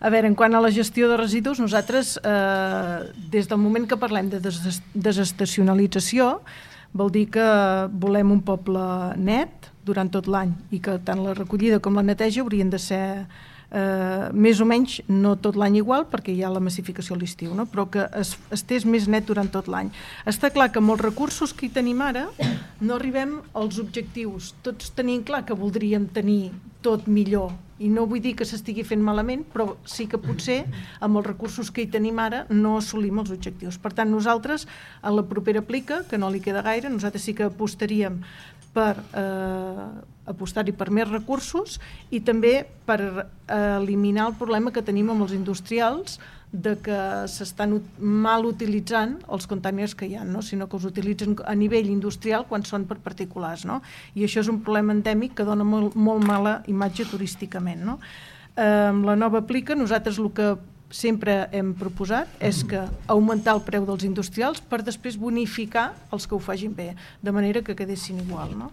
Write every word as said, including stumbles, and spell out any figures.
A veure, en quant a la gestió de residus, nosaltres, eh, des del moment que parlem de des desestacionalització, vol dir que volem un poble net durant tot l'any i que tant la recollida com la neteja haurien de ser eh, més o menys, no tot l'any igual, perquè hi ha la massificació a l'estiu, no? Però que es, estés més net durant tot l'any. Està clar que amb els recursos que hi tenim ara no arribem als objectius. Tots tenim clar que voldríem tenir tot millor, i no vull dir que s'estigui fent malament, però sí que potser amb els recursos que hi tenim ara no assolim els objectius. Per tant, nosaltres, a la propera plica, que no li queda gaire, nosaltres sí que apostaríem per eh, apostar-hi per més recursos i també per eh, eliminar el problema que tenim amb els industrials de que s'estan mal utilitzant els containers que hi ha, no? Sinó que els utilitzen a nivell industrial quan són per particulars, no? I això és un problema endèmic que dona molt, molt mala imatge turísticament, no? Eh, amb la nova plica nosaltres el que sempre hem proposat és que augmentar el preu dels industrials per després bonificar els que ho facin bé, de manera que quedessin igual, no?